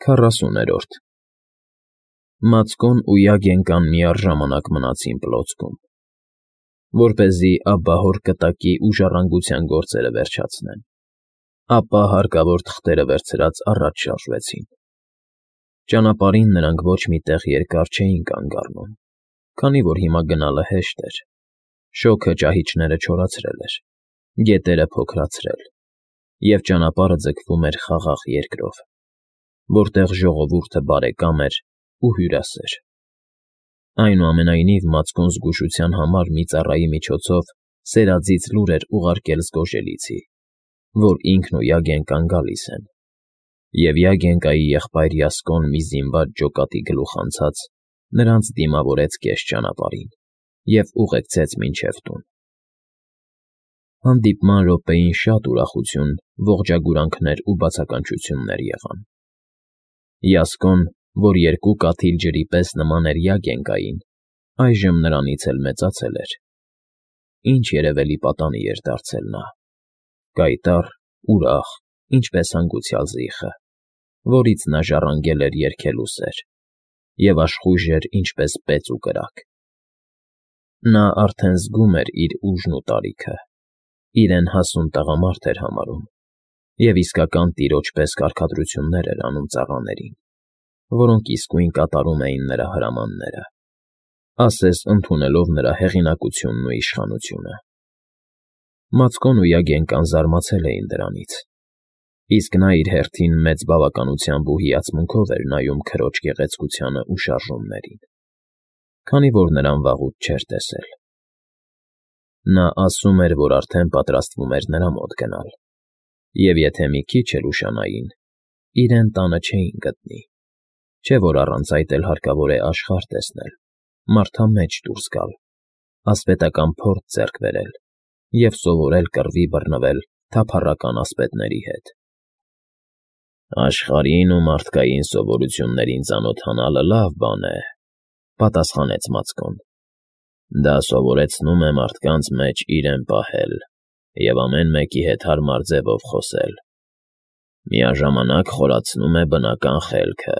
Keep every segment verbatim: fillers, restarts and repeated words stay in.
Քառասուներորդ Մացկոն ու Յագենկան միառժամանակ մնացին պլոցքում, որպեսզի աբահոր կտակի ու ժառանգության գործերը վերջացնեն, ապա հարկավոր թղթերը վերցրած առաջ շարժվեցին. ճանապարհին նրանք ոչ մի տեղ երկար չէին կանգ առնում, քանի որ հիմա գնալը հեշտ էր, շոգը ճահիճները չորացրել էր, գետերը փոքրացրել, և ճանապարհը ձգվում էր խաղաղ երկրով, որտեղ ժողովուրդը բարեկամ էր ու հյուրասեր։ Այնուամենայնիվ Մացկոն զգուշության համար մի ծառայի միջոցով սերadzից լուր էր ուղարկել զգոժելիցի, որ ինքն ու Յագենկան գալիս են, և Յագենկայի եղբայր Յասկոն մի զինված ջոկատի գլուխ անցած նրանց դիմավորեց կես ճանապարհին և ուղեկցեց մինչև տուն։ Հանդիպման րոպեին շատ ուրախություն, ողջագուրանքներ ու բացականչություններ եղան։ Յասկոն, որ երկու կաթիլ ջրի պես նման էր Յագենկային, այժմ նրանից էլ մեծացել էր։ Ինչ երևելի պատանի էր դարձել նա, կայտառ, ուրախ, ինչպես հանգուցյալ զիխը, որից նա ժառանգել էր երգելու սեր, և աշխույժ էր ինչպես պեծ ու կրակ։ Նա արդեն զգում էր իր ուժն ու տարիքը, իրեն հասուն տղամարդ էր համարում և իսկական տիրոջ պես կարգադրություններ էր անում ծառաներին, որոնք իսկույն կատարում էին նրա հրամանները, ասես ընդունելով նրա հեղինակությունն ու իշխանությունը։ Մացկոն ու Յագենկան զարմացել էին դրանից, իսկ նա իր հերթին մեծ բավականությամբ ու հիացմունքով էր նայում քրոջ գեղեցկությանն ու շարժումներին, քանի որ նրան վաղուց չէր տեսել։ Նա ասում էր, որ արդեն պատրաստվում էր նրա մոտ գնալ, և եթե մի քիչ էլ ուշանային, իրեն տանը չէին գտնի, չէ՞ որ առանց այդ էլ հարկավոր է աշխարհ տեսնել, մարդամեջ դուրս գալ, ասպետական փորձ ձեռք բերել և սովորել կռվի բռնվել թափառական ասպետների հետ։ Աշխարհին ու մարդկային սովորություններին ծանոթանալը լավ բան է, պատասխանեց Մացկոն։ Դա սովորեցնում է մարդկանց մեջ իրեն պահել և ամեն մեկի հետ հարմար ձևով խոսել, միաժամանակ խորացնում է բնական խելքը։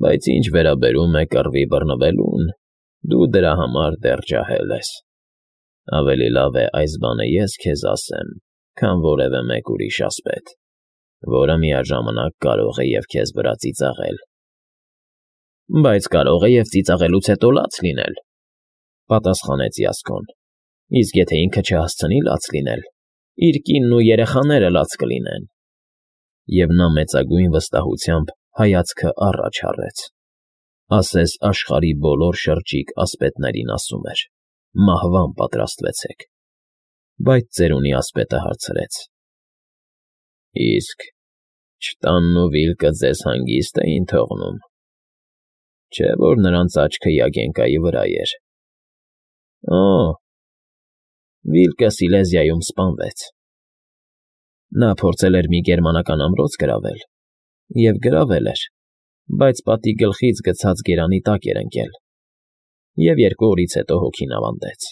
Բայց ինչ վերաբերում է կռվի բռնվելուն, դու դրա համար դեռ ջահել ես։ Ավելի լավ է այս բանը ես քեզ ասեմ, քան որևէ մեկ ուրիշ ասպետ, որը միաժամանակ կարող է և քեզ վրա ծիծաղել։ Բայց կարող է և ծիծաղելուց հետո լաց լինել, պատասխանեց Յասկոն, իսկ եթե ինքը չհասցնի լաց լինել, իր կինն ու երեխաները լաց կլինեն։ Եվ նա մեծագույն վստահությամբ հայացքը առաջ հառեց, ասես աշխարհի բոլոր շրջիկ ասպետներին ասում էր. «Մահվան պատրաստվեցեք»։ Բայց ծերունի ասպետը հարցրեց. Իսկ չտանն ու վիլկը ձեզ հանգիստ էին թողնում, չէ՞ որ նրանց աչքը Յագենկայի վրա էր։ Օ՜, Վիլկը Սիլեզիայում սպանվեց։ Նա փորձել էր մի գերմանական ամրոց գրավել, և գրավել էր, բայց պատի գլխից գցած գերանի տակ էր ընկել, և երկու օրից հետո հոգին ավանդեց։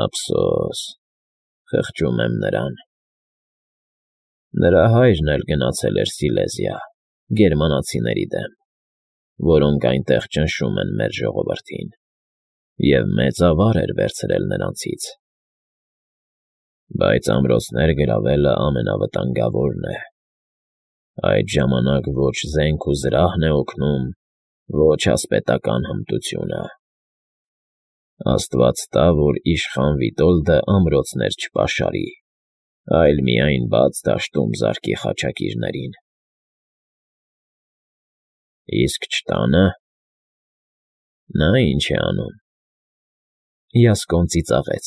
Ափսոս, խղճում եմ նրան։ Նրա հայրն էլ գնացել էր Սիլեզիա գերմանացիների դեմ, որոնք այնտեղ ճնշում են մեր ժողովրդին, և մեծ ավար էր վերցրել նրանցից։ Բայց ամրոցներ գրավելը ամենավտանգավորն է։ Այդ ժամանակ ոչ զենք ու զրահն է օգնում, ոչ ասպետական հմտությունը։ Աստված տա, որ իշխան Վիտոլդը ամրոցներ չպաշարի, այլ միայն բաց դաշտում զարկի խաչակիրներին։ Իսկ չտա՞նը։ Նա ինչ է անում։ Յասկոն ծիծաղեց։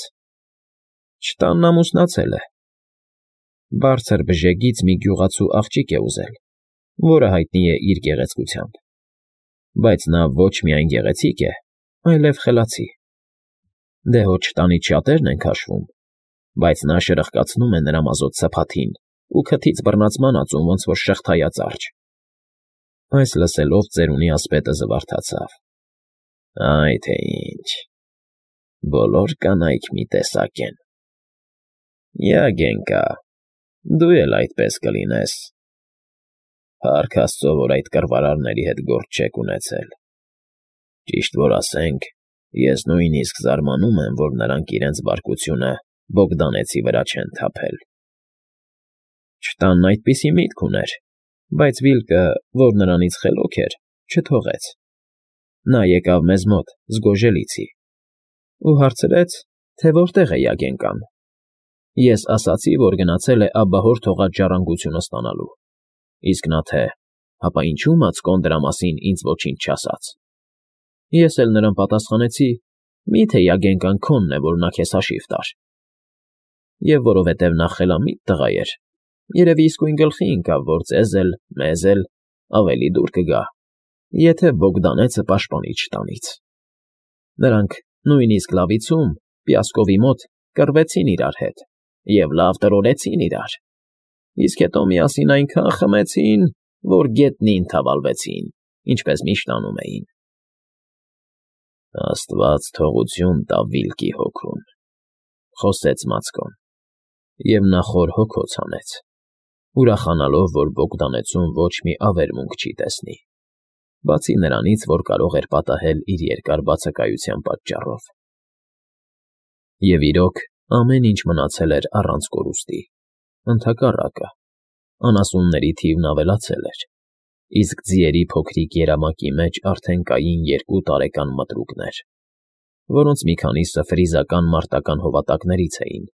Չտանն ամուսնացել է։ Բարձր բժեգից մի գյուղացու աղջիկ է ուզել, որը հայտնի է իր գեղեցկությամբ, բայց նա ոչ միայն գեղեցիկ է, այլև խելացի։ Դե հո չտանից շատերն են քաշվում, բայց նա շրխկացնում է նրա մազոտ սփաթին ու քթից բռնած մանածուն ոնց որ շղթայած արջը։ Այս լսելով ծերունի ասպետը զվարթացավ։ Այ թե ինչ, բոլոր կանայք մի տեսակ են։ Յագենկա, դու էլ այդպես կլինես։ Փառք Աստծո, որ այդ կռվարարների հետ գործ չեք ունեցել։ Ճիշտ որ ասենք, ես նույնիսկ զարմանում եմ, որ նրանք իրենց բարկությունը Բոգդանեցի վրա չեն թափել։ Չտանն այդպիսի միտք ուներ, բայց Վիլկը, որ նրանից խելոք էր, չթողեց։ Նա եկավ մեզ մոտ զգոժելիցի ու հարցրեց, թե որտեղ է Յագենկան։ Ես ասացի, որ գնացել է աբահոր թողած ժառանգությունը ստանալու, իսկ նա թե, հապա ինչու Մացկոն դրա մասին ինձ ոչինչ չասաց։ Ես էլ նրան պատասխանեցի, մի՞թե Յագենկան քոնն է, որ նա քեզ հաշիվ տար։ Եվ որովհետև նա խելամիտ տղա էր, երևի իսկույն գլխի ընկավ, որ ձեզ էլ, մեզ էլ ավելի դուր կգա, եթե Բոգդանեցը պաշտպանի չտանից։ Նրանք նույնիսկ լավիցում, Պյասկովի մոտ կռվեցին իրար հետ և լավ տրորեցին իրար, իսկ հետո միասին այնքան խմեցին, որ գետնին թավալվեցին, ինչպես միշտ անում էին։ Աստված թողություն տա Վիլկի հոգուն, խոսեց Մացկոն, և նա խոր հոգոց հանեց, ուրախանալով, որ Բոգդանեցում ոչ մի ավերմունք չի տեսնի, բացի նրանից, որ կարող էր պատահել իր երկար բացակայության պատճառով։ Եվ իրոք, ամեն ինչ մնացել էր առանց կորուստի, ընդհակառակը, անասունների թիվն ավելացել էր, իսկ ձիերի փոքրիկ երամակի մեջ արդեն կային երկու տարեկան մտրուկներ, որոնց մի քանիսը ֆրիզական մարտական հովատակներից էին,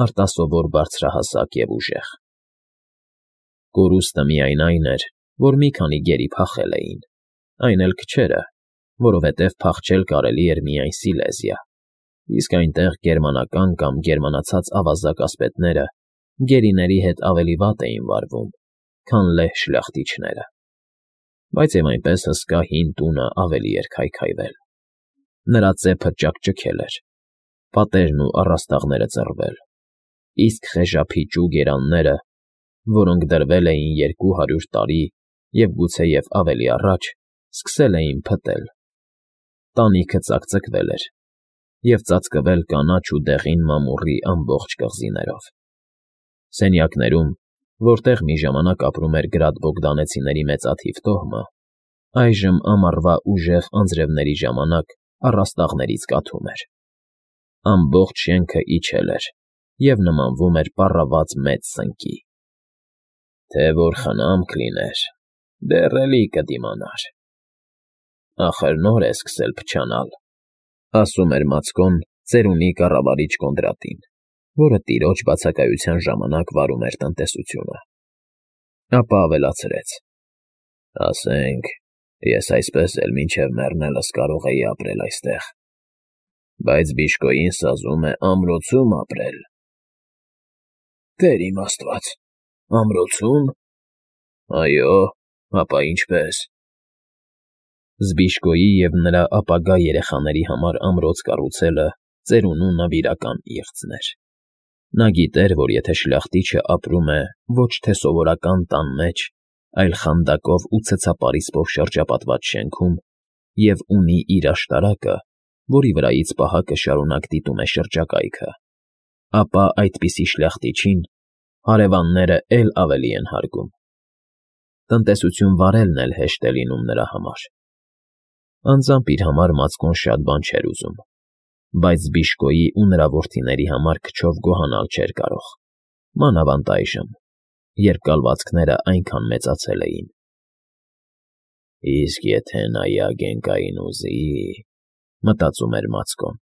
արտասովոր բարձրահասակ և ուժեղ։ Կորուստը միայն այն էր, որ մի քանի գերի փախել էին, այն էլ քչերը, որովհետև փախչել կարելի էր միայն Սիլեզիա, իսկ այնտեղ գերմանական կամ գերմանացած ավազակ ասպետները գերիների հետ ավելի վատ էին վարվում, քան լեհ շլախտիչները, բայց և այնպես հսկա հին տունը ավելի էր քայքայվել։ Նրա ծեփը ճաքճքել էր, պատերն ու առաստաղները ծռվել, իսկ խեժափիճու գերանները, որոնք դրվել էին երկու հարյուր տարի և գուցեև ավելի առաջ, սկսել էին փտել։ Տանիքը ծակծկվել էր և ծածկվել կանաչ ու դեղին մամուռի ամբողջ կղզիներով։ Սենյակներում, որտեղ մի ժամանակ ապրում էր Գրադ Բոգդանեցիների մեծաթիվ տոհմը, այժմ ամառվա ուժեղ անձրևների ժամանակ առաստաղներից կաթում էր։ Ամբողջ շենքը իջել էր և նմանվում էր պառաված մեծ սնկի։ Թե որ խնամք լիներ, դեռ էլի կդիմանար։ Ախր նոր է սկսել փչանալ, ասում էր Մացկոն ծերունի կառավարիչ Կոնդրատին, որը տիրոջ բացակայության ժամանակ վարում էր տնտեսությունը։ Ապա ավելացրեց. ասենք, ես այսպես էլ մինչև մեռնելս կարող էի ապրել այստեղ, բայց Բիշկոյին սազում է ամրոցում ապրել։ Տեր իմ Աստված, ամրոցո՞ւմ։ Այո, ապա ինչպես։ Զբիշկոյի և նրա ապագա երեխաների համար ամրոց կառուցելը ծերունու նվիրական իղձն էր։ Նա գիտեր, որ եթե շլախտիչը ապրում է ոչ թե սովորական տան մեջ, այլ խանդակով ու ցցապարիսպով շրջապատված շենքում և ունի իր աշտարակը, որի վրայից պահակը շարունակ դիտում է շրջակայքը, ապա այդպիսի շլախտիչին հարևանները էլ ավելի են հարգում։ Տնտեսություն վարելն էլ հեշտ է լինում նրա համար։ Անձամբ իր համար Մացկոն շատ բան չէր ուզում, բայց Զբիշկոյի ու նրա որդիների համար քչով գոհանալ չէր կարող, մանավանդ այժմ, երբ կալվածքները այնքան մեծացել էին։ Իսկ եթե նա Յագենկային ուզի, մտածում էր Մացկոն,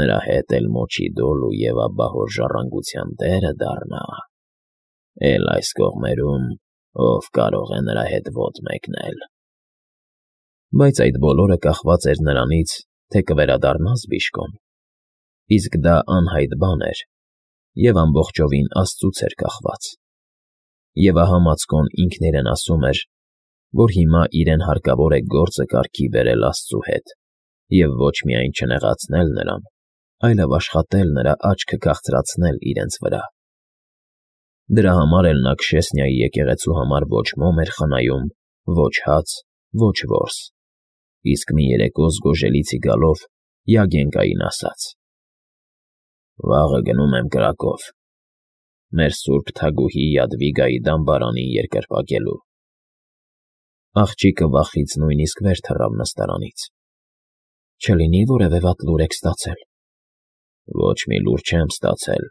նրա հետ էլ Մոչիդոլու և աբահոր ժառանգության տերը դառնա, էլ այս կողմերում ով կարող է նրա հետ ոտ մեկնել։ Բայց այդ բոլորը կախված էր նրանից, թե կվերադառնա Զբիշկոն, իսկ դա անհայտ բան էր և ամբողջովին աստծուց էր կախված։ Եվ ահա Մացկոն ինքն իրեն ասում էր, որ հիմա իրեն հարկավոր է գործը կարգի բերել աստծու հետ և ոչ միայն չնեղացնել նրան, այլև աշխատել նրա աչքը քաղցրացնել իրենց վրա։ Դրա համար էլ նա Քշեսնիայի եկեղեցու համար ոչ մոմ էր խնայում, ոչ հաց, ոչ որս, իսկ մի երեկո զգոժելիցի գալով Յագենկային ասաց. «Վաղը գնում եմ Կրակով, մեր սուրբ թագուհի Յադվիգայի դամբարանին երկրպագելու, Աղջիկը վախից նույնիսկ վեր թռավ նստարանից։ Չլինի որևէ վատ լուր եք ստացել։ Ոչ մի լուր չեմ ստացել,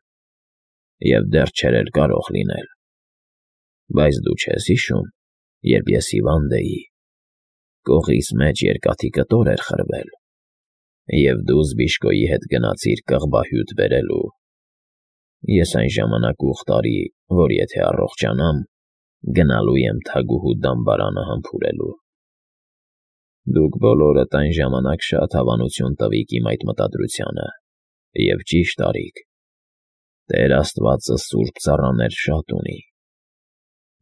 և դեռ չէր էլ կարող լինել։ Բայց դու չես հիշո՞ւմ, երբ ես հիվանդ էի, կողիս մեջ երկաթի կտոր էր խրվել, և դու Զբիշկոյի հետ գնացիր կղբահյութ բերելու։ Ես այն ժամանակ ուխ տարի, որ եթե առողջանամ, գնալու եմ թագուհու դամբարանը համբուրելու։ Դուք բոլորդ այն ժամանակ շատ հավանություն տվիք իմ այդ մտադրությանը, և ճիշտ արիք։ Տեր Աստվածը սուրբ ծառաներ շատ ունի,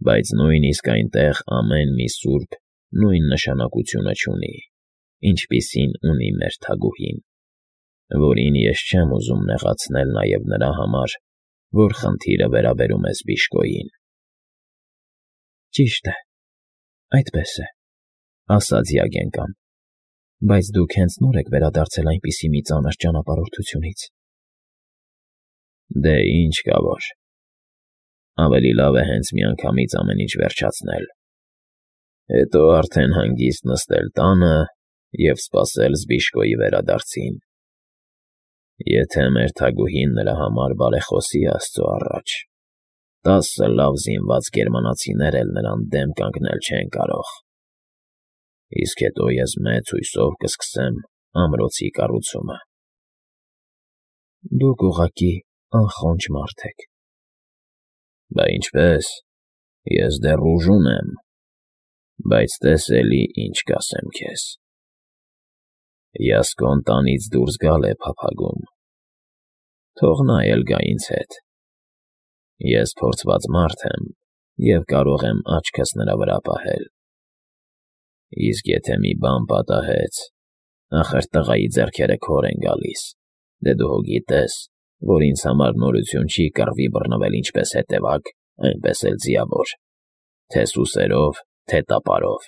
բայց նույնիսկ այնտեղ ամեն մի սուրբ նույն նշանակությունը չունի, ինչպիսին ունի մեր թագուհին, որին ես չեմ ուզում նեղացնել նաև նրա համար, որ խնդիրը վերաբերում է Զբիշկոյին։ Ճիշտ է, այդպես է, ասաց Յագենկան, բայց դուք հենց նոր եք վերադարձել այնպիսի մի ծանր ճանապարհորդությունից։ Դե ինչ կա որ, ավելի լավ է հենց միանգամից ամեն ինչ վերջացնել, հետո արդեն հանգիստ նստել տանը և սպասել Զբիշկոյի վերադարձին։ Եթե մեր թագուհին նրա համար բարեխոսի Աստծո առաջ, տասը լավ զինված գերմանացիներ էլ նրան դեմ կանգնել չեն կարող։ Իսկ հետո ես մեծ հույսով կսկսեմ ամրոցի կառուցումը։ Դուք ուղղակի անխոնջ մարդ եք։ Բա ինչպես, ես դեռ ուժ ունեմ, բայց տես էլի ինչ կասեմ քեզ։ Յասկոն տանից դուրս գալ է փափագում, թող նա էլ գա ինձ հետ։ Ես փորձված մարդ եմ և կարող եմ աչքս նրա վրա պահել։ Իսկ եթե մի բան պատահեց, ախր տղայի ձեռքերը քոր են գալիս, դե դու հո գիտես, որ ինձ համար նորություն չի կռվի բռնվել ինչպես հետևակ, այնպես էլ ձիավոր, թե սուսերով, թե տապարով։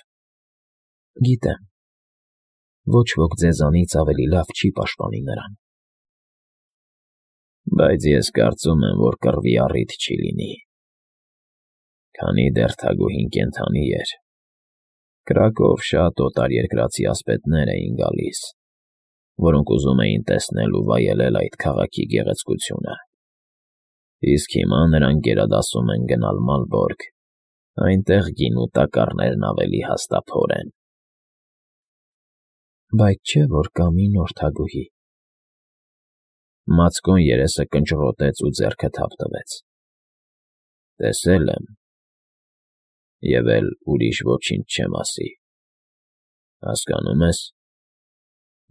Գիտեմ, ոչ ոք ձեզանից ավելի լավ չի պաշտպանի նրան։ Բայց ես կարծում եմ, որ կռվի առիթ չի լինի, քանի դեռ թագուհին կենդանի էր։ Կրակով շատ օտարերկրացի ասպետներ էին գալիս, որոնք ուզում էին տեսնել ու վայելել այդ քաղաքի գեղեցկությունը։ Իսկ հիմա նրանք գերադասում են գնալ Մալբորգ, այնտեղ գինու տակառներն ավելի հաստափոր են։ Բայց չէ՞ որ կա մի նոր թագուհի։ Մացկոն երեսը կնճռոտեց ու ձեռքը թավ տվեց։ Տեսել եմ, և էլ ուրիշ ոչինչ չեմ ասի։ Հասկանո՞ւմ ես։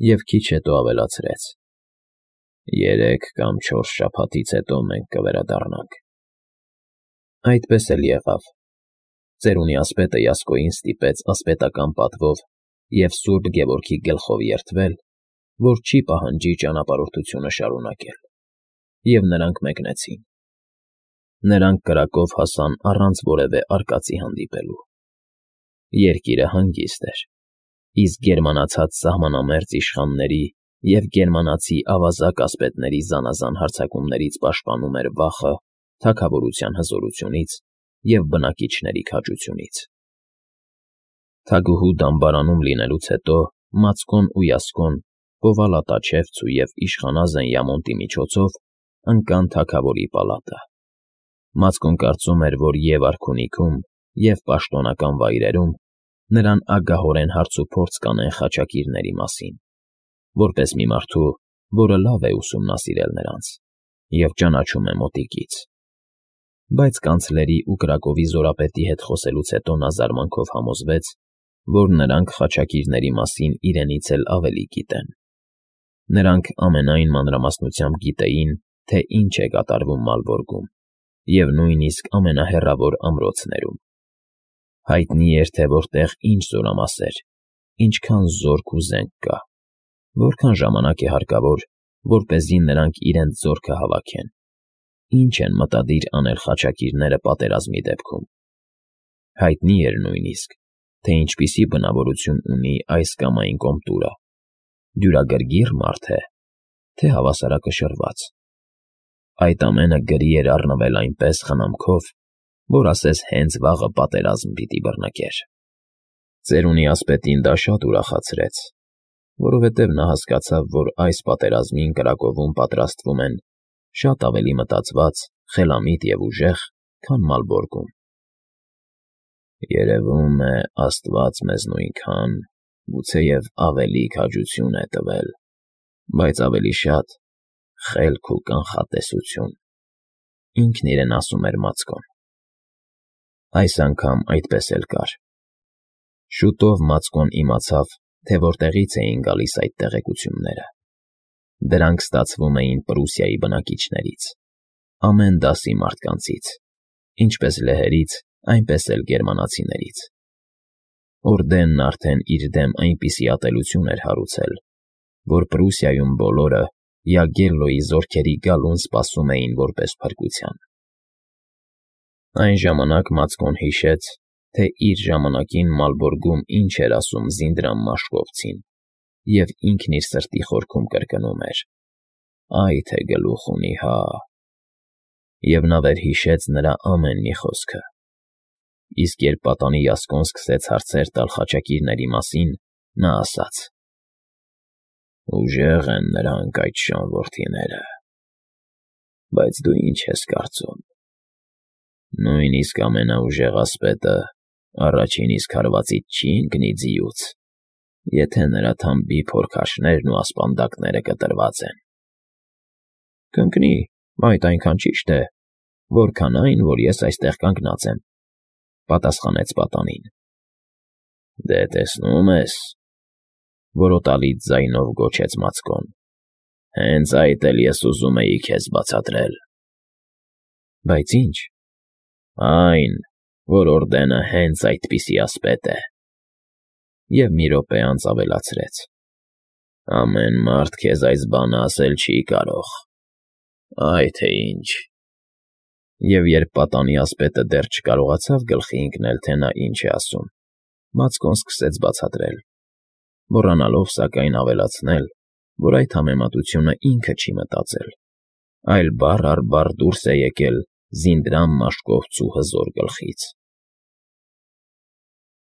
Եվ քիչ հետո ավելացրեց. Երեք կամ չորս շաբաթից հետո մենք կվերադառնանք։ Այդպես էլ եղավ։ Ծերունի ասպետը Յասկոյին ստիպեց ասպետական պատվով և սուրբ Գևորգի գլխով երդվել, որ չի պահանջի ճանապարհորդությունը շարունակել, և նրանք մեկնեցին։ Նրանք կրակով հասան առանց որևէ արկածի հանդիպելու։ Երկիրը հանգիստ էր, իսկ գերմանացած սահմանամերձ իշխանների և գերմանացի ավազակ ասպետների զանազան հարձակումներից պաշտպանում էր վախը թագավորության հզորությունից և բնակիչների քաջությունից։ Թագուհու դամբարանում լինելուց հետո Մացկոն ու Յասկոն Կովալատաչևցու և Իշխանազեն Յամոնտի միջոցով ընկան թագավորի պալատը։ Մացկոն կարծում էր, որ և արքունիքում, և պաշտոնական վայրերում նրան ագահորեն հարցուփորձ կանեն խաչակիրների մասին, որպես մի մարդու, որը լավ է ուսումնասիրել նրանց և ճանաչում է մոտիկից։ Բայց կանցլերի ու Կրակովի զորապետի հետ խոսելուց հետո նա զարմանքով համոզվեց, որ նրանք խաչակիրների մասին իրենից էլ ավելի գիտեն։ Նրանք ամենայն մանրամասնությամբ գիտեին, թե ինչ է կատարվում Մալբորգում և նույնիսկ ամենահեռավոր ամրոցներում։ Հայտնի էր, թե որտեղ ինչ զորամասեր, ինչքան զորք ու զենք կա, որքան ժամանակ է հարկավոր, որպեսզի նրանք իրենց զորքը հավաքեն, ինչ են մտադիր անել խաչակիրները պատերազմի դեպքում։ Հայտնի էր նույնիսկ, թե ինչպիսի բնավորություն ունի այս կամ այն կոմտուրը, դյուրագրգիռ մարդ է, թե հավասարակշռված։ Այդ ամենը գրի էր առնվել այնպես խնամքով, որ ասես հենց վաղը պատերազմ պիտի բռնկեր։ Ծերունի ասպետին դա շատ ուրախացրեց, որովհետև նա հասկացավ, որ այս պատերազմին կրակովում պատրաստվում են շատ ավելի մտածված, խելամիտ և ուժեղ, քան Մալբորգում։ «Երևում է, աստված մեզ նույնքան, գուցեև ավելի քաջություն է տվել, բայց ավելի շատ խելք ու կանխատեսություն», ինքն իրեն ասում էր Մացկոն։ Այս անգամ այդպես էլ կար։ Շուտով Մացկոն իմացավ, թե որտեղից էին գալիս այդ տեղեկությունները։ Դրանք ստացվում էին Պրուսիայի բնակիչներից, ամեն դասի մարդկանցից, ինչպես լեհերից, այնպես էլ գերմանացիներից։ Օրդենն արդեն իր դեմ այնպիսի ատելություն էր հարուցել, որ Պրուսիայում բոլորը Յագելլոյի զորքերի գալուն սպասում էին որպես փրկության։ Այն ժամանակ Մացկոն հիշեց, թե իր ժամանակին Մալբորգում ինչ էր ասում Զինդրամ Մաշկովցին, և ինքն իր սրտի խորքում կրկնում էր. «Այ թե գլուխ ունի, հա»։ Եվ նա վերհիշեց նրա ամեն մի խոսքը։ Իսկ երբ պատանի Յասկոն սկսեց հարցեր տալ խաչակիրների մասին, նա ասաց. «Ուժեղ են նրանք այդ շան որդիները, բայց դու ինչ ես կարծում. նույնիսկ ամենաուժեղ ասպետը առաջին իսկ հարվածից չի ընկնի ձիուց, եթե նրա թամբի փորքաշներն ու ասպանդակները կտրված են»։ «Կընկնի, այդ այնքան ճիշտ է, որքան այն, որ ես այստեղ կանգնած եմ», պատասխանեց պատանին։ «Դե տեսնում ես», որոտալից ձայնով գոչեց Մացկոն, «հենց այդ էլ ես ուզում էի քեզ բացատրել»։ «Բայց ի՞նչ»։ «Այն, որ Օրդենը հենց այդպիսի ասպետ է»։ Եվ մի րոպե անց ավելացրեց. «Ամեն մարդ քեզ այս բանը ասել չի կարող, այ թե ինչ»։ Եվ երբ պատանի ասպետը դեռ չկարողացավ գլխի ընկնել, թե նա ինչ է ասում, Մացկոն սկսեց բացատրել, մոռանալով սակայն ավելացնել, որ այդ համեմատությունը ինքը չի մտածել, այլ բառ առ բառ դուրս է եկել Զինդրամ Մաշկովցու հզոր գլխից։